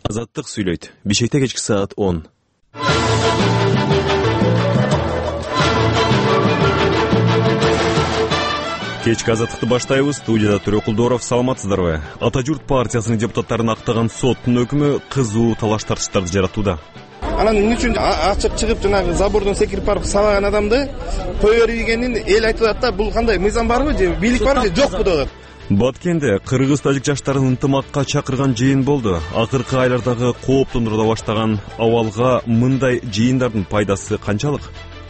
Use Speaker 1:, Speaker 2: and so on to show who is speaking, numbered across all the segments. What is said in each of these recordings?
Speaker 1: Азаттык сүйлөйт. Бишкекте кечки саат 10. Кечки азаттыкты баштайбыз. Студияда Төрөкулдоров. Саламатсыздарбы? Ата журт партиясынын депутаттарын актаган соттун өкүмү кызуу талаш тартыштарды жаратууда.
Speaker 2: Анан эмне үчүн ачып чыгып жанагы забордон секирип барып сабаган адамды кое бергенин эл айтып атат да, бул кандай мыйзам барбы же бийлик барбы же жокпу деп атат.
Speaker 1: Баткенде кыргыз-тажик жаштарын ынтымакка чакырган жыйын болду. Акыркы айлардагы кооптондурууда баштаган абалга мындай жыйындардын пайдасы канчалык?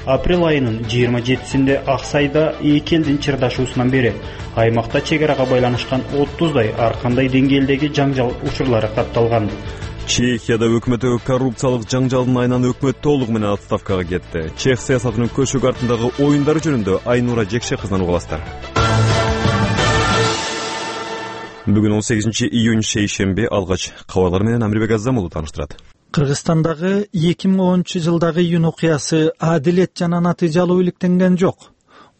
Speaker 3: Апрель айынын 27-синде Аксайда эки элдин чырдашуусунан бери аймакта чегарага байланышкан 30дай ар кандай деңгээлдеги жаңжал учурлары катталган.
Speaker 1: Чехияда өкмөттөгү коррупциялык жаңжалдын айынан өкмөт толугу менен отставкага кетти. Чех саясатынын көчөк артындагы оюндары жөнүндө Айнура Жекше кызынан угаластар. Бүгүн 18 июнь шейшемби. Алгач кабарлар менен Амирбек Азамулу тааныштырат.
Speaker 4: Кыргызстандагы 2010-жылдагы июнь окуясы адилет жана натыйжалуу иликтенген жок.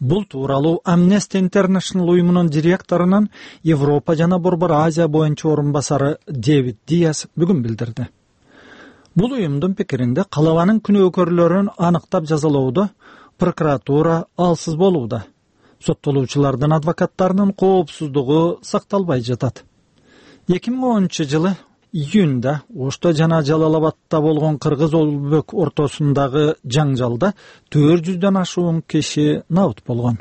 Speaker 4: Бул тууралуу Amnesty International уюмунун директорунун Европа жана Борбор Азия боюнча орун басары Дэвид Диас бүгүн билдирди. Бул уюмдун пикиринде калабанын күнөөкөрлөрүн аныктап жазалоодо прокуратура алсыз болууда. Соттолуучулардын адвокаттарынын коопсуздугу сакталбай жатат. 2010-жылы июнда Ошто жана Жалал-Абадта болгон кыргыз-өзбек ортосундагы жаңжалда 400дөн ашуун киши набыт болгон.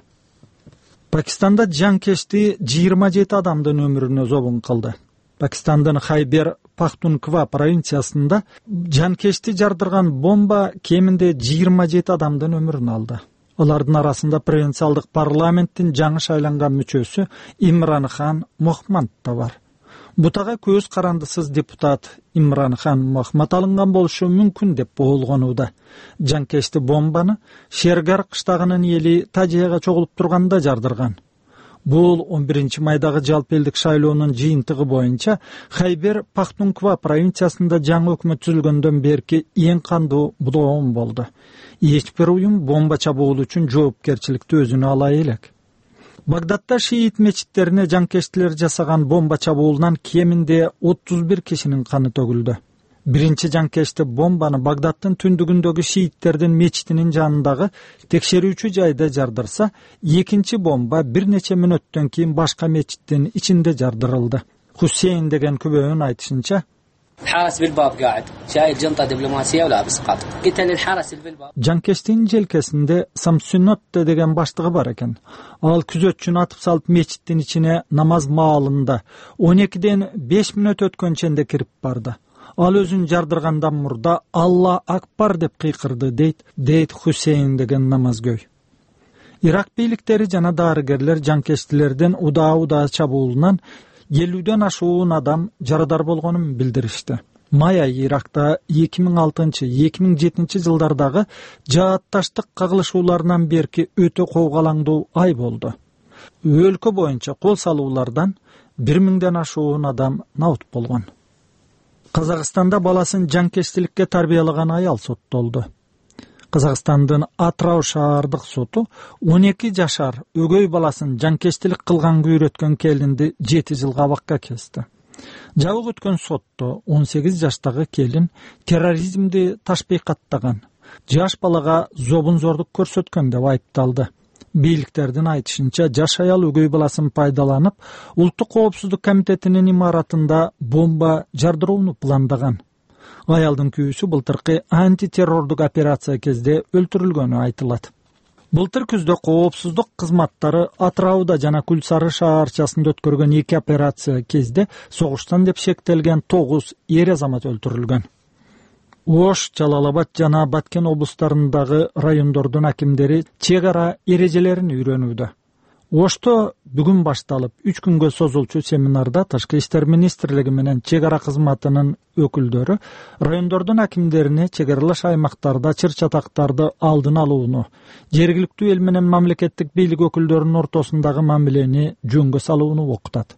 Speaker 4: Пакистанда жанкечти 27 адамдын өмүрүнө зобун кылды. Пакистандын Хайбер Пахтунква провинциясында жанкечти жардырган бомба кеминде 27 адамдын өмүрүн алды. Алардын арасында провинциалдык парламенттин жаңы шайланган мүчөсү Имран Хан Мохмад да бар. Бутага көз карандысыз депутат Имран Хан Мохмад алынган болушу мүмкүн деп болгонууда. Жанкечти бомбаны Шергар кыштагынын эли Тажияга чогулуп турганда жардырган. Бул 11-майдагы жалпы элдик шайлоонун жыйынтыгы боюнча Хайбер Пахтунква провинциясында жаңы өкмөт түзүлгөндөн берки эң кандуу бодом болду. Эч бир уюм бомба чабуул үчүн жоопкерчиликти өзүнө ала элек. Багдадта шиит мечиттерине жанкечтилер жасаган бомба чабуулунан кеминде 31 кишинин каны төгүлдү. Биринчи жанкечти бомбаны Багдадтын түндүгүндөгү шииттердин мечитинин жанындагы текшерүүчү жайда жардырса, экинчи бомба бир нече мүнөттөн кийин башка мечиттин ичинде жардырылды. Хусейн деген күбөнүн айтышынча, жанкечтин желкесинде Самсунотте деген баштыгы бар экен. Ал күзөтчүнү атып салып мечиттин ичине намаз маалында 12ден 5 мүнөт өткөнченде кирип барды. Ал өзүн жардыргандан мурда Алла акбар деп кыйкырды дейт Хусейн деген намазгөй. Ирак бийликтери жана дарыгерлер жанкечтилердин удаа чабуулунан 50дөн ашуун адам жарадар болгонун билдиришти. Май айы Иракта 2006-2007 жылдардагы жаатташтык кагылышууларынан берки өтө коогалаңдуу ай болду. Өлкө боюнча кол салуулардан 1000ден ашуун адам набыт болгон. Казакстанда баласын жанкечтиликке тарбиялаган аял соттолду. Казакстандын Атрау шаардык соту 12 жашар өгөй баласын жанкечтилик кылганга үйрөткөн келинди 7 жылга абакка кести. Жабык өткөн сотто 18 жаштагы келин терроризмди ташбыйкаттаган, жаш балага зобун-зордук көрсөткөн деп айыпталды. Бийликтердин айтышынча, жаш аял өгөй баласын пайдаланып, Улуттук коопсуздук комитетинин имаратында бомба жардырууну пландаган. Аялдын күйүүсү былтыркы антитеррордук операция кезде өлтүрүлгөнү айтылат. Былтыр күздө коопсуздук кызматтары Атрауда жана Күлсары шаарчасында өткөргөн 2 операция кезде согуштан деп шектелген 9 эр азамат өлтүрүлгөн. Ош, Жалал-Абад жана Баткен облустарындагы райондордун акимдери чек ара эрежелерин үйрөнүүдө. Ошто бүгүн башталып 3 күнгө созулчу семинарда Тышкы иштер министрлиги менен чек ара кызматынын өкүлдөрү райондордун акимдерине чек аралаш аймактарда чыр-чатактарды алдын алууну, жергиликтүү эл менен мамлекеттик бийлик өкүлдөрүнүн ортосундагы мамилени жөнгө салууну окутат.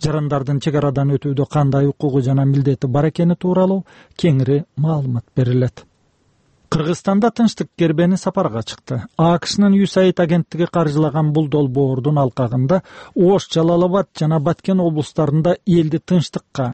Speaker 4: Жарандардын чек арадан өтүүдө кандай укугу жана милдети бар экени тууралуу кеңири маалымат берилет. Кыргызстанда тынчтык кербени сапарга чыкты. АКШнын USAID агенттиги каржылаган бул долбоордун алкагында Ош, Жалал-Абад жана Баткен облустарында элди тынчтыкка,